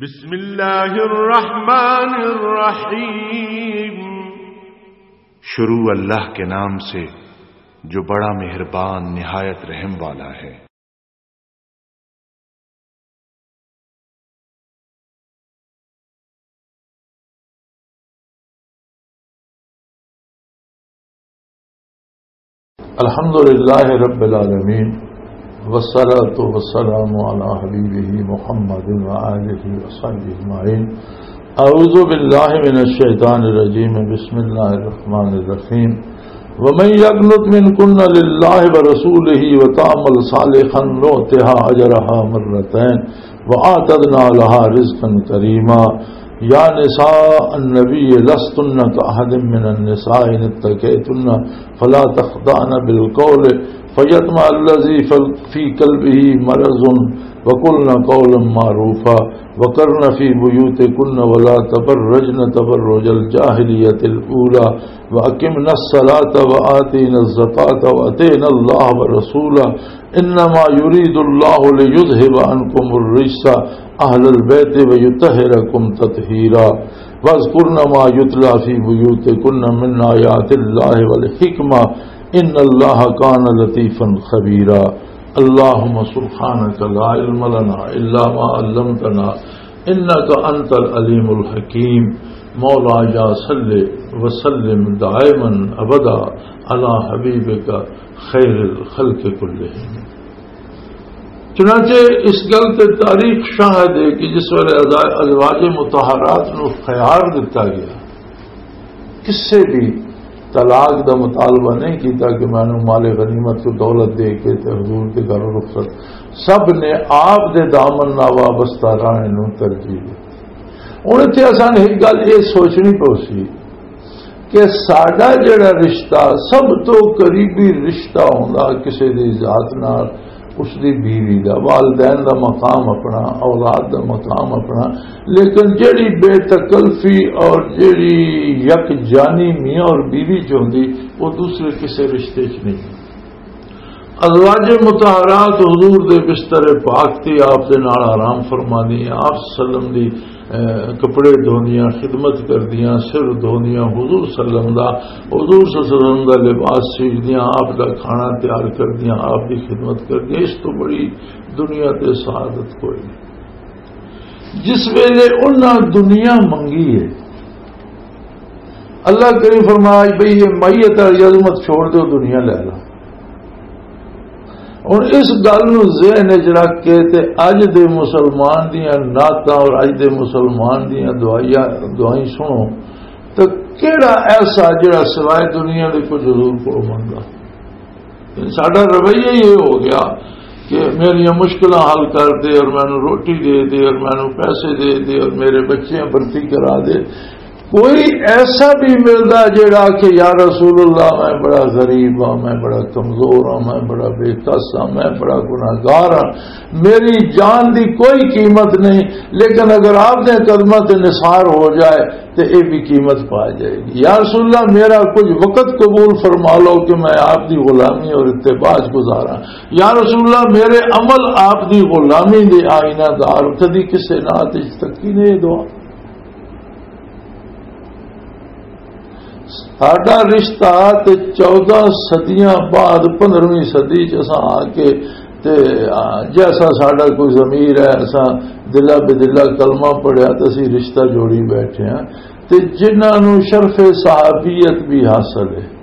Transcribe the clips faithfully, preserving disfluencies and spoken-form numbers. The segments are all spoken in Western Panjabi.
بسم اللہ الرحمن الرحیم۔ شروع اللہ کے نام سے، جو بڑا مہربان، نہایت رحم والا ہے۔ الحمد لله رب العالمين، والصلاة والسلام على حبيبه محمد وآله وصحبه أجمعين. أعوذ بالله من الشيطان الرجيم. بسم الله الرحمن الرحيم. ومن يقنت منكن لله ورسوله وتعمل صالحا نؤتها أجرها مرتين وأعتدنا لها رزقا كريما. يا نساء النبي لستن كأحد من النساء إن اتقيتن فلا تخضعن بالقول فيطمع الذي في قلبه مرض وقلن قولا معروفا وقرن في بيوتكن ولا تبرجن تبرج الجاهلية الأولى وأقمنا الصلاة وآتينا الزكاة وأطعنا الله ورسوله إنما يريد الله ليذهب عنكم الرجس أهل البيت ويطهركم تطهيرا. واذكرن ما يتلى في بيوتكن من آيات الله والحكمة إن الله كان لطيفا خبيرا. اللهم سبحانك لا علم لنا إلا ما علمتنا إنك أنت العليم الحكيم. مولاي صل وسلم دائما أبدا على حبيبك خير الخلق كلهم. چنانچہ اس گل تے تاریخ شاہد ہے کہ جس ویلے ازا-، ازواج مطہرات نو خیار دتا گیا، کسے بھی طلاق دا مطالبہ نہیں کیتا کہ مینوں مال غنیمت کو دولت دے کے تے حضور دے گھر رخصت، سب نے آپ دے دامن نال وابستہ رہنے نو ترجیح دتی۔ ہن اتھے اساں نے ایک گل یہ سوچنی پوسی کہ ساڈا جڑا رشتہ، سب تو قریبی رشتہ ہوندا کسے دی ذات نال، اس دی بیوی دا، والدین دا مقام اپنا، اولاد دا مقام اپنا، لیکن جڑی بے تکلفی اور جڑی یک جانی میاں اور بیوی چ ہوندی، وہ دوسرے کسے رشتے چ نہیں۔ ازواج مطہرات حضور دے بستر پاک تے آپ دے نال آرام فرماندیاں، آپ صلی اللہ علیہ وسلم دی، اے، کپڑے دھوندیاں، خدمت کردیاں، سر دھوندیاں، حضور صلی اللہ علیہ وسلم دا، حضور صلی اللہ علیہ وسلم دا لباس سیدیاں، آپ دا کھانا تیار کردیاں، آپ دی خدمت کردیاں۔ اس تو بڑی دنیا تے سعادت کوئی نہیں۔ جس ویلے انہاں دنیا منگی ہے، اللہ کریم فرمایا بھئی یہ میت والی عظمت چھوڑ دو، دنیا لے لو۔ ہن اس گل نوں ذہن وچ رکھ کے تے اج دے مسلمان دیاں نعتاں اور اج دے مسلمان دیاں دعائیاں، دعائیں سنو تے کیڑا ایسا جڑا سوائے دنیا دے کچھ حضور کولوں منگدا؟ ساڈا رویہ ہی یہ ہو گیا کہ میریاں مشکلاں حل کر دے اور مینوں روٹی دے دے اور مینوں پیسے دے دے اور میرے بچیاں بھرتی کرا دے۔ کوئی ایسا بھی ملدا جیڑا کہ یا رسول اللہ، میں بڑا غریب ہاں، میں بڑا کمزور ہاں، میں بڑا بے کس ہاں، میں بڑا گناہگار ہاں، میری جان دی کوئی قیمت نہیں، لیکن اگر آپ دے قدماں تے نثار ہو جائے تے اے بھی قیمت پا جائے گی۔ یا رسول اللہ، میرا کچھ وقت قبول فرما لو کہ میں آپ دی غلامی اور اتباع چ گزاراں۔ یا رسول اللہ، میرے عمل آپ دی غلامی دے آئینہ دار، کدی کسے نعت وچ تکی نہیں دعا۔ ساڈا رشتہ تے چودہ صدیاں بعد پندرہویں صدی چ اساں آ کے تے، آ، جیسا ساڈا کوئی ضمیر ہے، اساں دلا بدلا کلمہ پڑھیا تے اسی رشتہ جوڑی بیٹھے ہیں۔ تے جنہاں نوں شرف صحابیت بھی حاصل ہے،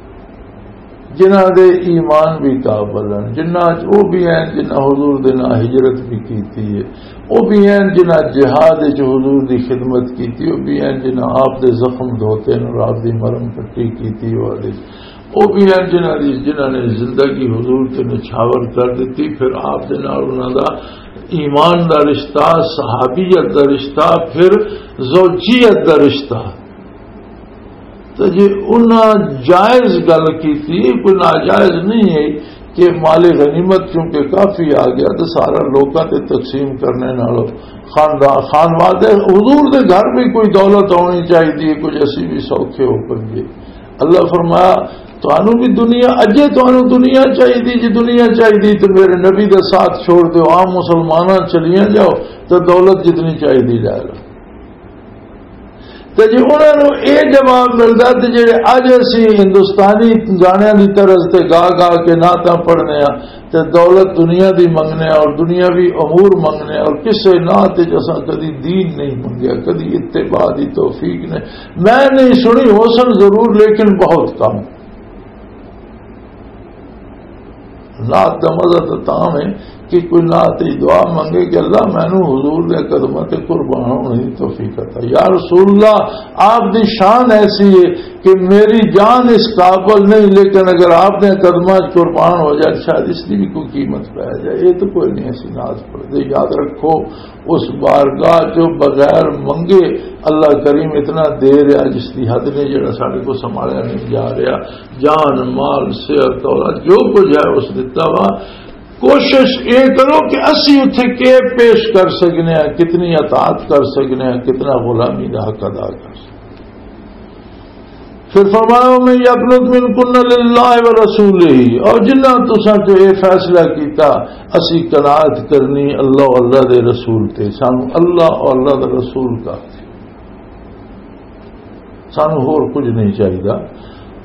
جنہاں دے ایمان بھی قابل ہیں، جنہاں چ وہ بھی ہیں جنہاں حضور دے نال ہجرت بھی کیتی ہے، وہ بھی ہیں جنہاں جہاد وچ حضور دی خدمت کیتی، وہ بھی ہیں جنہاں آپ دے زخم دھوتے ہیں اور آپ دی مرہم پٹی کیتی۔ وہ بھی ہیں جنہاں دی، جنہاں نے زندگی حضور تے نچھاور کر دیتی۔ پھر آپ دے نال انہاں دا ایمان دا رشتہ، صحابیت دا رشتہ، پھر زوجیت دا رشتہ۔ تو جی انہاں جائز گل کیتی، کوئی ناجائز نہیں ہے کہ مال غنیمت چونکہ کافی آ گیا تو سارا لوکاں تے تقسیم کرنے نالوں خاندان، خانوادے، حضور دے گھر بھی کوئی دولت ہونی چاہیے، کچھ اسی بھی سوکھے ہو پنجے۔ اللہ فرمایا، "تانوں بھی دنیا، اجے تانوں دنیا چاہیدی، جے دنیا چاہیدی تے میرے نبی دا ساتھ چھوڑ دیو، عام مسلماناں چلیاں جاؤ تے دولت جتنی چاہیدی لے لو۔" تے جے انہاں نوں اے جواب ملدا تے جڑے اج اسی ہندوستانی گانیاں دی طرز تے گا گا کے نعتاں پڑھنے آ، تے دولت دنیا دی منگنے اور دنیاوی امور منگنے، اور کسے نعت وچ اساں کدی دین نہیں منگیا، کدی اتباع دی توفیق نہیں۔ میں نہیں سنی، ہو سن ضرور، لیکن بہت کم۔ نعت دا مزہ تاں تاں ہے کہ کوئی نعت وچ دعا منگے کہ اللہ مینوں حضور دے قدماں تے قربان ہونے دی توفیق عطا۔ یا رسول اللہ، آپ دی شان ایسی ہے کہ میری جان اس قابل نہیں، لیکن اگر آپ نے قدماں قربان ہو جائے، شاید اس کی بھی کوئی قیمت پہ جائے۔ یہ تو کوئی نہیں، ایسی ناز پڑھ دے۔ یاد رکھو، اس بارگاہ چو بغیر منگے اللہ کریم اتنا دے رہا جس کی حد نے، جڑا ساڈے کو سنبھالیا نہیں جا رہا۔ جان، مال، صحت، اولاد، جو کچھ ہے اس دتا وا۔ کوشش یہ کرو کہ اسی اتھے کے پیش کر سکنے ہیں، کتنی اطاعت کر سکنے ہیں، کتنا غلامی کا حق ادا کر سکنے ہیں۔ پھر فرمایا، "ومن یقنت منکن للہ ورسولہ"، اور جنہاں تساں چ یہ فیصلہ کیتا، اسی قناعت کرنی اللہ اور اللہ دے رسول تے، سانو اللہ اور اللہ دے رسول کا، سانو ہور کچھ نہیں چاہیدا۔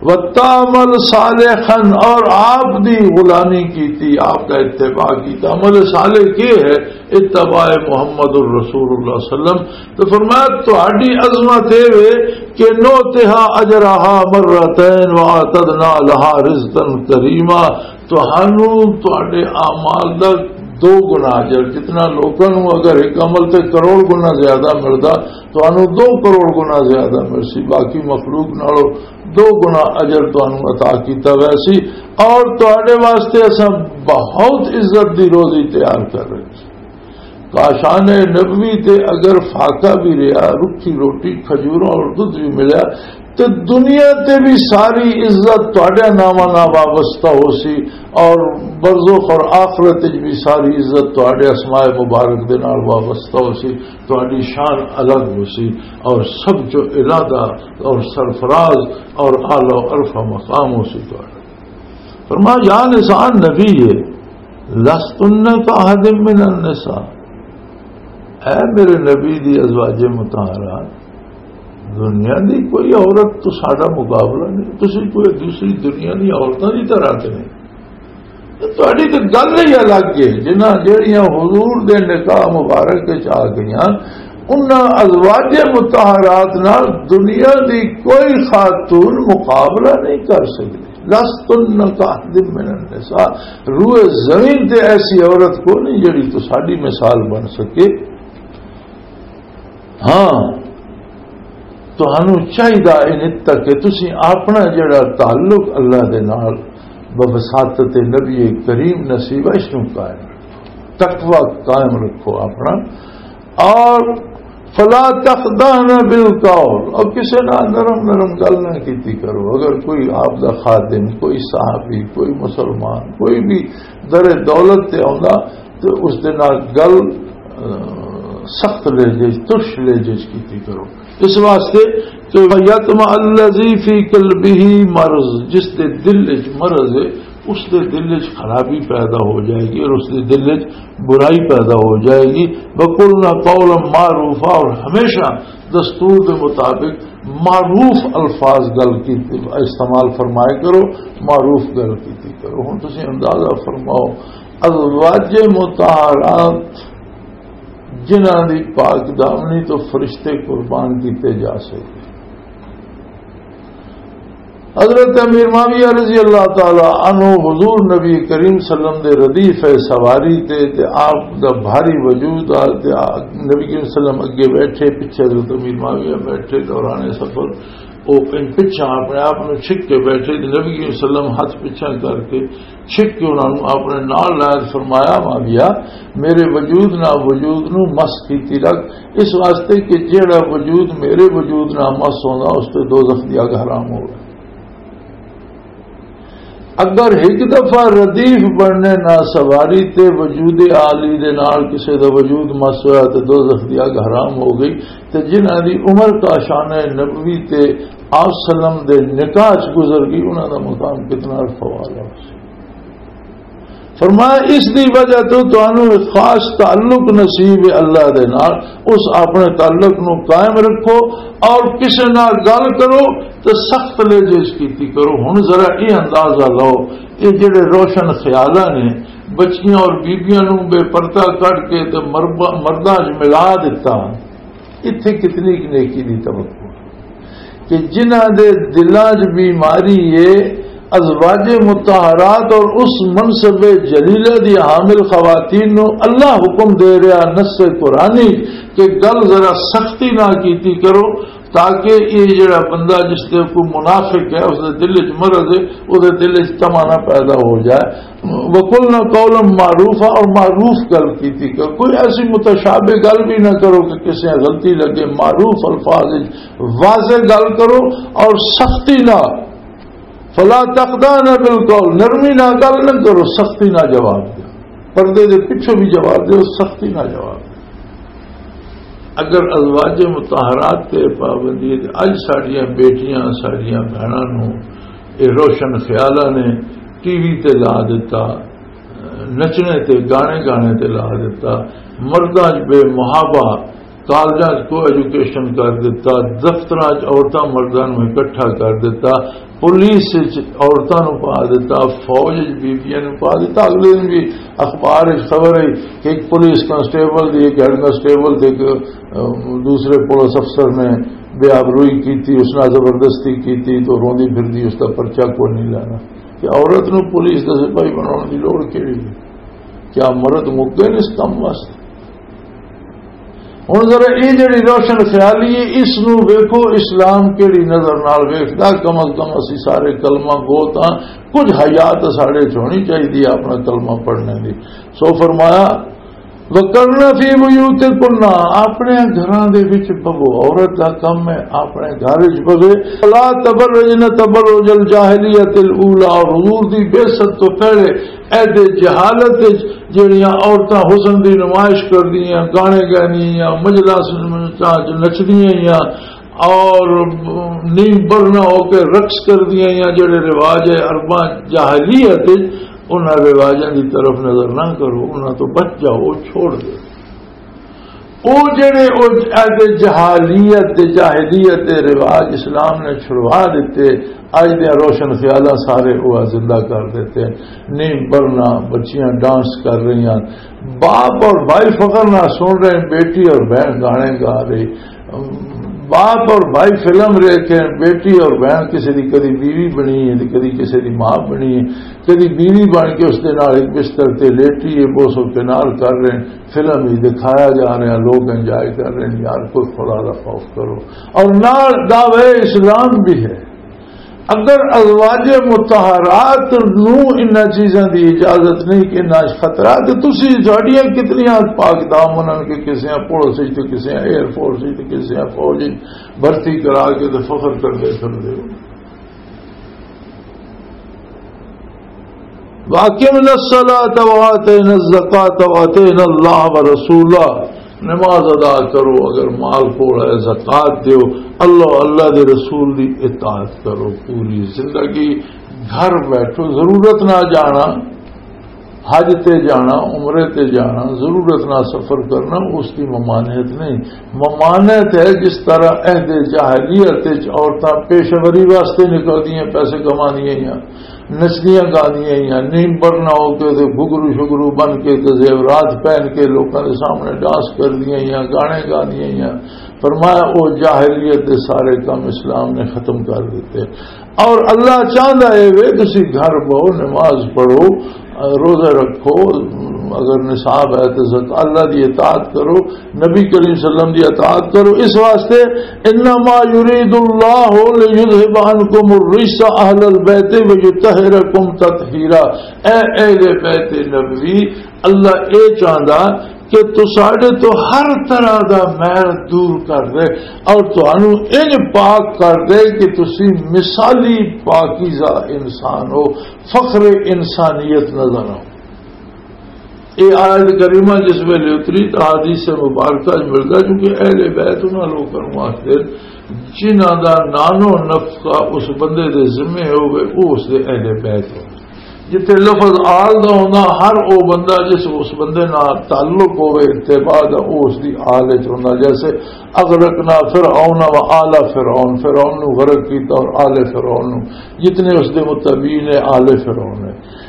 وتعمل صالحا، اور آپ دی غلامی کیتی، آپ کا اتباع کیتا۔ عمل صالح کی ہے؟ اتباع محمد الرسول اللہ صلی اللہ علیہ وسلم۔ تو فرمایا، تہاڈی عظمت اے وے کہ نؤتها اجرها مرتين واعتدنا لها رزقا كريما۔ تہانوں تہاڈے اعمال دا دو گنا اجر، جتنا لوکاں نوں اگر ایک عمل تے کروڑ گنا زیادہ ملدا، تہانوں دو کروڑ گنا زیادہ ملسی، باقی مخلوق نالوں دو گنا اجر تہانوں عطا کیتا ویسی، اور تہاڈے واسطے اساں بہت عزت دی روزی تیار کر رہے ہاں۔ کاشان نبوی تے اگر فاقہ بھی رہا، رکھی روٹی، کھجوراں اور دودھ بھی ملیا، تے دنیا تے بھی ساری عزت تہاڈے ناماں نال وابستہ ہو سی، اور برزخ اور آخرت وچ بھی ساری عزت تہاڈے اسماء مبارک دے نال وابستہ ہو سی، تہاڈی شان الگ ہو سی، اور سب چو ارادہ اور سرفراز اور اعلیٰ و ارفع مقام ہو سی تہاڈا۔ فرمایا، یا نساء نبی، لستن کاحد من النساء، اے میرے نبی دی ازواج مطہرات، دنیا دی کوئی عورت تو ساڈا مقابلہ نہیں، تسی کوئی دوسری دنیا دی عورتاں دی طرح تے نہیں۔ تے تہاڈی تے گل ہی الگ ہے، جنہاں جہڑیاں حضور دے نکاح مبارک وچ آ گئیاں، انہاں ازواج مطہرات نال دنیا دی کوئی خاتون مقابلہ نہیں کر سکدی۔ لستن کاحد من النساء، روئے زمین تے ایسی عورت کو نہیں جڑی تو ساڈی مثال بن سکے۔ ہاں، تہانوں چاہیدا ان تک کہ تسی اپنا جڑا تعلق اللہ دے نال بوساطت نبی کریم نصیب ہے، اس نوں قائم رکھو، تقوی قائم رکھو اپنا۔ اور فلا تخضعن بالقول، اور کسے نال نرم نرم گل نہ کیتی کرو۔ اگر کوئی آپ دا خادم، کوئی صحابی، کوئی مسلمان، کوئی بھی در دولت تے آوندا، تے اس دے نال گل، آ، سخت لہجے، ترش لہجے چ کیتی کرو۔ اس واسطے کہ یطمع الذی فی قلبہ مرض، جس دے دل وچ مرض ہے، اس دے دل وچ خرابی پیدا ہو جائے گی اور اس دے دل وچ برائی پیدا ہو جائے گی۔ وقلن قولا معروفا، اور ہمیشہ دستور دے مطابق معروف الفاظ گل کی استعمال فرمائے کرو، معروف گل کیتی کرو۔ ہن تسی اندازہ فرماؤ، ازواج مطہرات جنہاں دی پاک دامنی تو فرشتے قربان کیتے جا سکتے۔ حضرت امیر معاویہ رضی اللہ تعالی عنہ حضور نبی کریم صلی اللہ علیہ وسلم دے ردیف سواری تے، تے آپ دا بھاری وجود آ، تے آ، نبی کریم صلی اللہ علیہ وسلم اگے بیٹھے، پیچھے حضرت امیر معاویہ بیٹھے۔ دوران سفر او ان پچھاں اپنے آپ نوں چھک کے بیٹھے، تے نبی کریم صلی اللہ علیہ وسلم ہاتھ پچھاں کر کے چھک کے انہاں نوں اپنے نال لایا۔ فرمایا، معاویہ، میرے وجود نال وجود نوں مس کیتی رکھ، اس واسطے کہ جیڑا وجود میرے وجود نال مس ہوندا، اس تے دوزخ دی اگ حرام ہوے۔ اگر ایک دفعہ ردیف بننے نہ سواری تے وجود عالی دے نال کسے دا وجود مس ہویا تے دوزخ دی اگ حرام ہو گئی۔ تے جنہاں دی عمر کا شانہ نبوی تے آپ سلم دے نکاح چ گزر گئی، انہاں دا مقام کتنا رفع والا ہو سی۔ فرمایا، اس دی وجہ تو تانوں ایک خاص تعلق نصیب ہے اللہ دے نال۔ اس اپنے تعلق نو قائم رکھو اور کسے نال گل کرو تے سخت لہجے وچ کیتی کرو۔ ہن ذرا یہ اندازہ لو، یہ جڑے روشن خیالاں نے بچیاں اور بیبیاں نو بے پردہ کڈ کے تے مربا-، مرداں وچ ملا دتا، اتھے کتنی کُ نیکی دی توقع؟ کہ جنہاں دے دلاں 'چ بیماری ہے، ازواج مطہرات اور اس منصب جلیلہ دی حامل خواتین نو اللہ حکم دے رہا نص قرآنی کہ گل ذرا سختی نہ کیتی کرو، تاکہ یہ جڑا بندہ جس دے کوئی منافق ہے، اس دے دل 'چ مرض ہے، اس دے دل 'چ تمنا پیدا ہو جائے۔ وَقُلْنَ قَوْلًا مَعْرُوفًا، اور معروف گل کیتی کرو، کوئی ایسی متشابہ گل بھی نہ کرو کہ کسی غلطی لگے، معروف الفاظ وچ واضح گل کرو اور سختی نہ، فلا تخضعن بالقول، نرمی نہ گل نہ کرو، سختی نہ جواب دو، پردے دے پیچھے بھی جواب دو، سختی نہ جواب دو۔ اگر ازواج مطہرات تے پابندی ہے، تے اج ساڈیاں بیٹیاں، ساڈیاں بہناں نوں اے روشن خیالاں نے ٹی وی تے لا دتا، نچنے تے گانے گانے تے لا دتا، مرداں 'چ بے محابہ، کالجاں 'چ کو ایجوکیشن کر دتا، دفتراں 'چ عورتاں مرداں نوں اکٹھا کر دتا، پولیس وچ عورتاں نوں پا دتا، فوج وچ بیبیاں نوں پا دتا۔ اگلے دن بھی اخبار وچ خبر ہے کہ ایک پولیس کانسٹیبل دی، ایک ہیڈ کانسٹیبل تے ایک، ام، دوسرے پولیس افسر نے بے آبروئی کیتی، اس نال زبردستی کیتی، تو روندی پھردی، اس دا پرچہ کوئی نہیں لینا۔ کہ عورت نوں پولیس دا سپاہی بناؤن دی لوڑ کیڑی ہے؟ کیا مرد مک گئے نے اس کم واسطے؟ ہن ذرا اے جڑی روشن خیالی ہے، اس نو ویکھو، اسلام کیڑی نظر نال ویکھدا؟ کم از کم اسی سارے کلمہ گو تاں کچھ حیا تاں ساڈے چ ہونی چاہیدی ہے اپنا کلمہ پڑھنے دی۔ سو فرمایا، "وَقَرْنَ فِي بُيُوتِكُنَّ"، اپنے گھراں دے وچ بہو، عورت دا کم ہے اپنے گھر وچ بہے۔ "لَا تَبَرَّجْنَ تَبَرُّجَ الْجَاهِلِيَّةِ الْأُولَىٰ"، اور حضور دی بعثت تو پہلے عہد جہالت وچ جڑیاں عورتاں حسن دی نمائش کردیاں، گانے گاندیاں، مجلساں وچ نچدیاں یا اور نیم برنا ہو کے رقص کردیاں یا جڑے رواج ہے عرباں جاہلیت وچ، انہاں رواجاں دی طرف نظر نہ کرو، انہاں تو بچ جاؤ، چھوڑ دو۔ او جڑے او عہد جہالیت دے، جاہلیت دے رواج اسلام نے چھڑوا دتے، اج دے روشن خیالاں سارے او زندہ کر دیتے۔ نیم برنا، بچیاں ڈانس کر رہی ہیں، باپ اور بھائی فخر نہ سن رہے ہیں، بیٹی اور بہن گانے گا رہی، باپ اور بھائی فلم دیکھ کے بیٹی اور بہن کسی دی کدی بیوی بنی ہے، کدی کسی دی ماں بنی ہے، کدی بیوی بن کے اس دے نال ایک بستر تے لیٹی ہے، بوسو کنار کر رہے ہیں، فلم ہی دکھایا جا رہا ہے، لوگ انجوائے کر رہے ہیں۔ یار، کوئی خدا دا خوف کرو۔ اور نال دعوی اسلام بھی ہے۔ اگر ازواج مطہرات نو انہاں چیزاں دی اجازت نہیں کہ انہاں خطرہ، تے تسی ساڈیاں کتنیاں پاک دامن ہن کہ کسیاں پولیس وچ تے کسیاں ایئر فورس وچ تے کسیاں فوج وچ بھرتی کرا کے تے فخر کردے پھردے ہو۔ وَأَقِمْنَا الصَّلَاةَ وَآتَيْنَا الزَّكَاةَ وَأَطِعْنَا اللَّهَ وَرَسُولَهُ، نماز ادا کرو، اگر مال کول ہے زکات دیو، اللہ، اللہ دے رسول دی اطاعت کرو۔ پوری زندگی گھر بیٹھو، ضرورت نہ جانا، حج تے جانا، عمرے تے جانا، ضرورت نہ سفر کرنا، اس کی ممانعت نہیں۔ ممانعت ہے جس طرح عہد جاہلیت وچ عورتاں پیشہ وری واسطے نکلدیاں، پیسے کماندیاں یا نچدیاں گاندیاں یا نیم برنا ہو کے تے گھگرو شگرو بن کے تے زیورات پہن کے لوکاں دے سامنے ڈانس کردیاں یا گانے گاندیاں یا، فرمایا، او جاہلیت دے سارے کم اسلام نے ختم کر دیتے۔ اور اللہ چاہندا ہے وے تسی گھر بہو، نماز پڑھو، روزہ رکھو، اگر نصاب ہے تو زک-، اللہ دی اطاعت کرو، نبی کریم صلی اللہ علیہ وسلم دی اطاعت کرو۔ اس واسطے، "انما یرید اللہ لیذهب عنکم الرجس اہل البیت ویطہرکم تطہیرا"، اے اہل بیت نبوی، اللہ اے چاہندا کہ تساڈے تو ہر طرح دا میل دور کر دے اور تانوں انج پاک کر دے کہ تسی مثالی پاکیزہ انسان ہو، فخر انسانیت نظر آؤ۔ یہ آیت کریمہ جس ویلے اتری تو حدیث مبارکہ وچ ملدا، کیونکہ اہل بیت انہاں لوکاں نوں آخدے جنہاں دا نانو نفقہ اس بندے دے ذمے ہوئے، وہ اس دے اہل بیت ہو۔ جتھے لفظ آل دا ہوندا، ہر او بندہ جس اس بندے نال تعلق ہوئے، اتباع دا، او اس دی آل وچ ہوندا۔ جیسے اغرقنا فرعون و آل فرعون، فرعون نو غرق کیتا اور آل فرعون نو، جتنے اس دے متبعین ہیں، آل فرعون ہے۔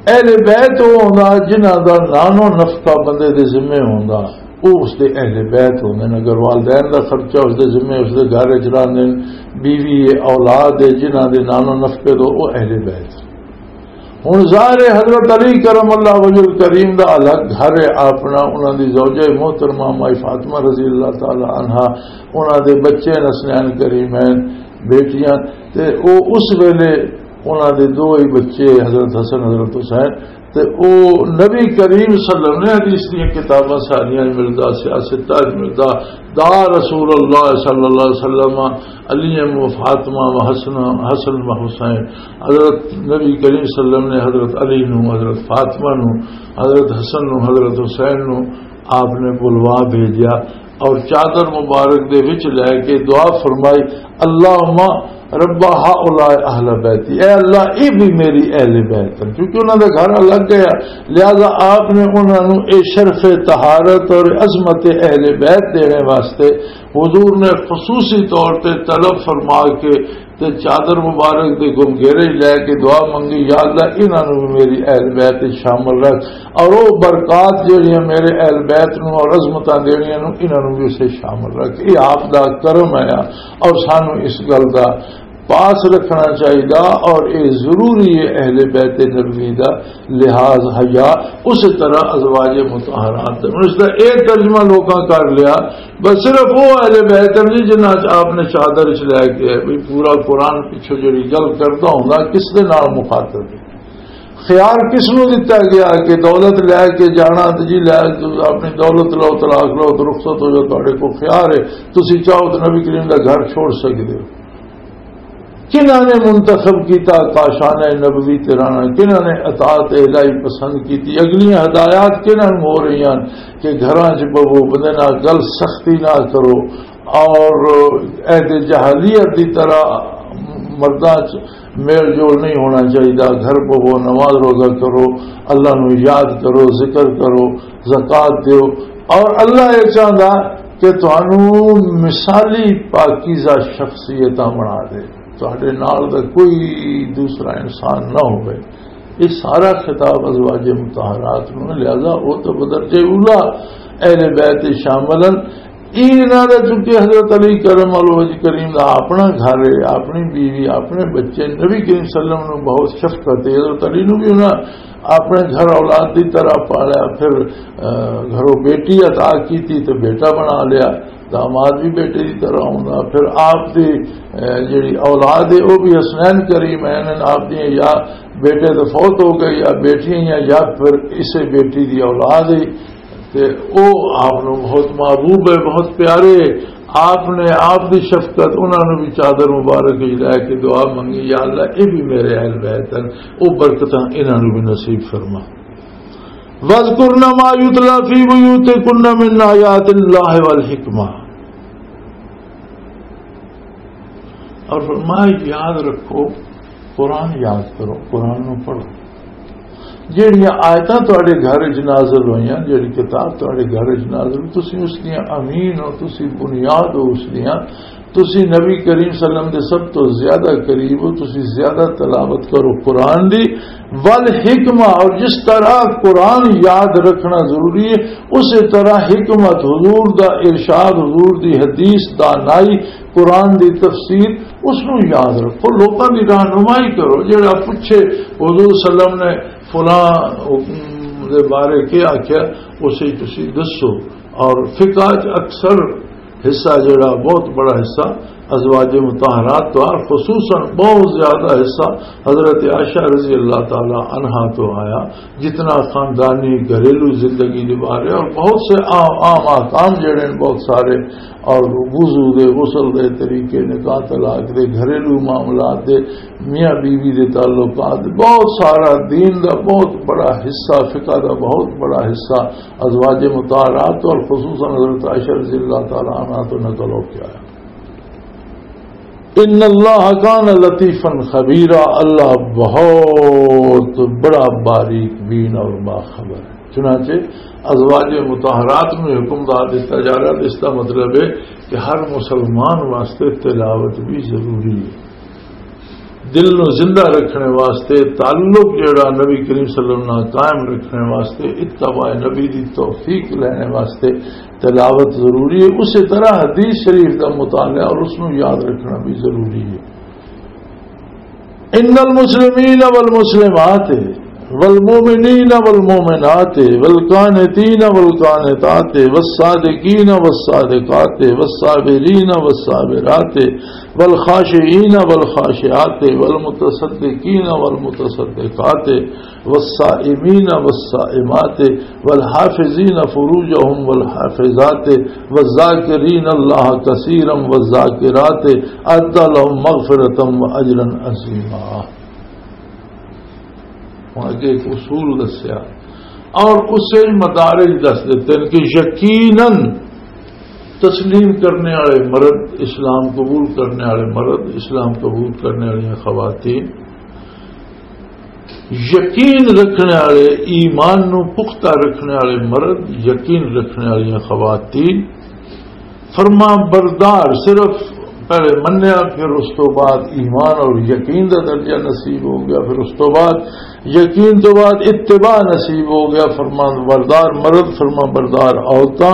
اہل بیت وہ ہوندا جنہاں دا نانو نفقہ بندے دے ذمے ہوندا، وہ اس دے اہل بیت ہوندے نے۔ اگر والدین دا خرچہ اس دے ذمے، اس دے گھر چلاندے نے، بیوی ہے، اولاد ہے، جنہاں دے نانو نفقے دو، وہ اہل بیت۔ ہن ظاہر ہے حضرت علی کرم اللہ وجہ کریم دا الگ گھر ہے اپنا، انہاں دی زوجہ محترمہ مائی فاطمہ رضی اللہ تعالی عنہا، انہاں دے بچے نسلین کریمین، بیٹیاں، تے او اس ویلے انہاں دے دو ہی بچے، حضرت حسن، حضرت حسین، تے او نبی کریم صلی اللہ علیہ وسلم نے حدیث دیاں کتاباں ساریاں ملدا، سیاست تاج ملدا، دا رسول اللہ صلی اللہ علیہ وسلم علی و فاطمہ و حسن، حسن و حسین۔ حضرت نبی کریم صلی اللہ علیہ وسلم نے حضرت علی نو، حضرت فاطمہ نو، حضرت حسن نو، حضرت حسین نو آپ نے بلوا بھیجیا اور چادر مبارک دے وچ لے کے دعا فرمائی، "اللہم رب ہؤلاء اہل بیتی"، اے اللہ، اے بھی میری اہل بیت ہیں، کیونکہ انہاں دا گھر الگ گیا، لہذا آپ نے انہاں نوں اے شرف طہارت اور عظمت اہل بیت دینے واسطے حضور نے خصوصی طور تے طلب فرما کے تے چادر مبارک دے گم گھیرے لے کے دعا منگی، "یا اللہ، انہاں نوں بھی میری اہل بیت وچ شامل رکھ، اور او برکات جڑیاں میرے اہل بیت نوں اور عظمتاں دیڑیاں نوں، انہاں نوں بھی اسے شامل رکھ۔" یہ آپ دا کرم ہے اور سانوں اس گل دا پاس رکھنا چاہیدا، اور یہ ضروری ہے اہل بیت نبوی دا لحاظ حیا، اسی طرح ازواج مطہرات دا۔ ہن اس دا ایک ترجمہ لوکاں کر لیا، بس صرف وہ اہل بیت ہیں جی جنہاں چ آپ نے چادر چ لے کے، بھی پورا قرآن پچھو جڑی گل کردا ہوندا، کس دے نال مخاطب ہے؟ خیار کس نو دتا گیا کہ دولت لے کے جانا تے جی لے اپنی دولت لو، طلاق لو تے رخصت ہو جاؤ، تہاڈے کول خیار ہے، تسی چاہو تے نبی کریم دا گھر چھوڑ سکدے ہو۔ کنہاں نے منتخب کیتا کاشانہ نبوی تے رہنا، کنہاں نے اطاعت الہی پسند کیتی، اگلیاں ہدایات کنہاں نوں ہو رہی ہیں کہ گھراں چ بہو، بندے نال گل سختی نہ کرو، اور عہد جاہلیت دی طرح مرداں چ میل جول نہیں ہونا چاہیے۔ گھر بہو، نماز روزہ کرو، اللہ نو یاد کرو، ذکر کرو، زکوٰۃ دیو، اور اللہ یہ چاہندا کہ تانوں مثالی پاکیزہ شخصیتاں بنا دے، تہاڈے نال دا کوئی دوسرا انسان نہ ہوئے۔ یہ سارا خطاب ازواج مطہرات نو، لہذا وہ تو بدرجہ اولا اہل بیت شامل ہیں۔ انہاں دا چونکہ حضرت علی کرم اللہ وجہ کریم دا اپنا گھر ہے، اپنی بیوی، اپنے بچے، نبی کریم صلی اللہ علیہ وسلم نو بہت شفقت ہے۔ حضرت علی نو بھی انہاں اپنے گھر اولاد دی طرح پالیا، پھر، آ، گھروں بیٹی عطا کیتی تے بیٹا بنا لیا، داماد بھی بیٹے دی طرح ہوندا۔ پھر آپ دی، آ، جڑی اولاد ہے، وہ بھی حسنین کریم ہیں، آپ دی یا بیٹے تو فوت ہو گئے، یا بیٹیاں، یا، یا پھر اسے بیٹی دی اولاد ہے۔ تے او آپ نو بہت محبوب ہے، بہت پیارے۔ آپ نے آپ دی شفقت، انہاں نو بھی چادر مبارک وچ لے کے دعا منگی، "یا اللہ، اے بھی میرے اہل بیت ہیں، او برکتاں انہاں نو بھی نصیب فرما۔" "وَاذْكُرْنَ مَا يُتْلَى فِي بُيُوتِكُنَّ مِنْ آيَاتِ اللَّهِ وَالْحِكْمَةِ۔" اور فرمایا، یاد رکھو، قرآن یاد کرو، قرآن نو پڑھو۔ جہڑیاں آیتاں تہاڈے گھر وچ نازل ہوئیاں، جہڑی کتاب تہاڈے گھر وچ نازل ہوئی، تسی اس دیاں امین ہو، تسی بنیاد ہو اس دیاں، تسی نبی کریم صلی اللہ علیہ وسلم دے سب تو زیادہ قریب ہو، تسی زیادہ تلاوت کرو قرآن دی۔ والحکمہ، اور جس طرح قرآن یاد رکھنا ضروری ہے، اسی طرح حکمت، حضور دا ارشاد، حضور دی حدیث، دانائی، قرآن دی تفسیر، اس نو یاد رکھو، لوکاں دی رہنمائی کرو۔ جڑا پوچھے حضور صلی اللہ علیہ وسلم نے فلاں حکم دے بارے کیا آکھیا، اسے تسی دسو۔ اور فقہ چ اکثر حصہ، جڑا بہت بڑا حصہ، ازواج مطہرات تو، اور خصوصاً بہت زیادہ حصہ حضرت عائشہ رضی اللہ تعالی عنہا تو آیا، جتنا خاندانی گھریلو زندگی نبھا رہے، اور بہت سے عام، عام احکام جڑے ہیں، بہت سارے، اور وضو دے، غسل دے طریقے، نکاح طلاق دے، گھریلو معاملات دے، میاں بیوی دے تعلقات، بہت سارا دین دا بہت بڑا حصہ، فقہ دا بہت بڑا حصہ ازواج مطہرات اور خصوصاً حضرت عائشہ رضی اللہ تعالی عنہا تو نقل ہو کے آیا۔ ان اللہ کان لطیفا خبیرا، اللہ بہت بڑا باریک بین اور باخبر ہے۔ چنانچہ ازواج مطہرات میں حکم دار دیتا جا رہا ہے، اس کا مطلب ہے کہ ہر مسلمان واسطے تلاوت بھی ضروری ہے۔ دل نو زندہ رکھنے واسطے، تعلق جڑا نبی کریم صلی اللہ علیہ وسلم نال قائم رکھنے واسطے، اتباع نبی دی توفیق لینے واسطے تلاوت ضروری ہے۔ اسی طرح حدیث شریف دا مطالعہ اور اس نو یاد رکھنا بھی ضروری ہے۔ ان المسلمین والمسلمات والمؤمنین والمؤمنات والقانتین والقانتات والصادقین والصادقات والصابرین والصابرات والخاشعین والخاشعات والمتصدقین والمتصدقات والصائمین والصائمات والحافظین فروجهم والحافظات والذاکرین اللہ کثیرا والذاکرات اعد لهم مغفرة واجرا عظیما۔ ہن اگے ایک اصول دسیا اور اسے مدارج دس دیتے ہیں کہ یقیناً تسلیم کرنے والے مرد، اسلام قبول کرنے والے مرد، اسلام قبول کرنے والی خواتین، یقین رکھنے والے، ایمان نو پختہ رکھنے والے مرد، یقین رکھنے والی خواتین، فرما بردار، صرف پہلے منیا، پھر اس تو بعد ایمان اور یقین دا درجہ نصیب ہو گیا، پھر اس تو بعد یقین تو بعد اتباع نصیب ہو گیا۔ فرما بردار مرد، فرما بردار عورتاں،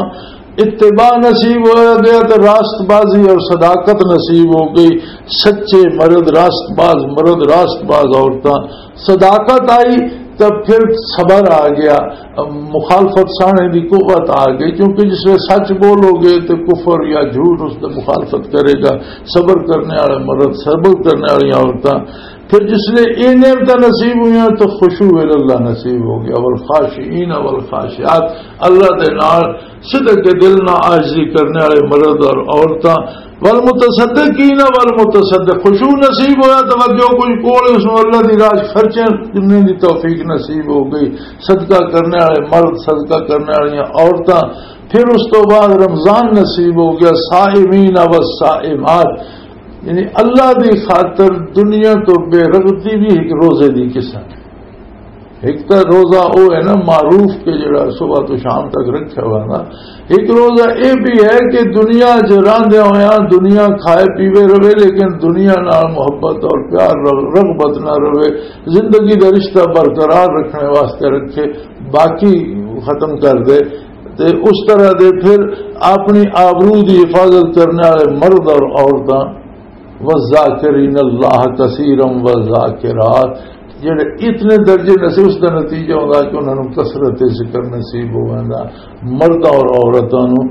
اتباع نصیب ہو گیا تو راست بازی اور صداقت نصیب ہو گئی۔ سچے مرد، راست باز مرد، راست باز عورتاں، صداقت آئی، تب پھر صبر آ گیا، مخالفت سانے دی قوت آ گئی، کیونکہ جس ویلے سچ بولو گے تو کفر یا جھوٹ اس دی مخالفت کرے گا۔ صبر کرنے والے مرد، صبر کرنے والی عورتاں، پھر جس ویلے یہ نعمتاں نصیب ہوئیاں تو خشوع اللہ نصیب ہو گیا۔ والخاشعین والخاشعات، اللہ دے نال صدق کے دل نہ عاجزی کرنے والے مرد اور عورتاں، والمتصدقین والمتصدق، خشوع نصیب ہویا، توجہ کوئی کول اس نوں اللہ دی راہ چ خرچے کرنے دی توفیق نصیب ہو گئی، صدقہ کرنے والے مرد، صدقہ کرنے والیاں عورتاں، پھر اس تو بعد رمضان نصیب ہو گیا، صائمین والصائمات، یعنی اللہ دی خاطر دنیا تو بے رغبتی بھی ایک روزے دی قسم ہے۔ ایک تو روزہ او ہے نا معروف کہ جڑا صبح تو شام تک رکھا ہوا نا، ایک روزہ اے بھی ہے کہ دنیا چ رہندے ہویا دنیا کھائے پیوے رہے، لیکن دنیا نال محبت اور پیار، رغ-، رغبت نہ رہے، زندگی دا رشتہ برقرار رکھنے واسطے رکھے، باقی ختم کر دے۔ تے اس طرح دے پھر اپنی آبرو دی حفاظت کرنے والے مرد اور عورتاں، والذاکرین اللہ کثیرا والذاکرات، جڑے اتنے درجے نصیب، اس دا نتیجہ ہوندا کہ انہاں نوں کثرت ذکر نصیب ہوندا۔ مرد اور عورتاں نوں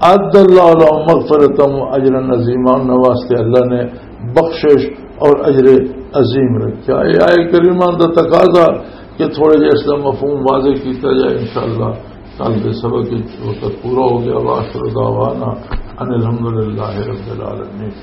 اعد اللہ لهم مغفرۃ و اجرا عظیما، انہاں واسطے اللہ نے بخشش اور اجر عظیم رکھا۔ یہ آیت کریمہ دا تقاضا کہ تھوڑے جہے اس دا مفہوم واضح کیتا جائے، انشاءاللہ کل دے سبق وچ وقت پورا ہو گیا۔ وآخر دعوانا ان الحمدللہ رب العالمین۔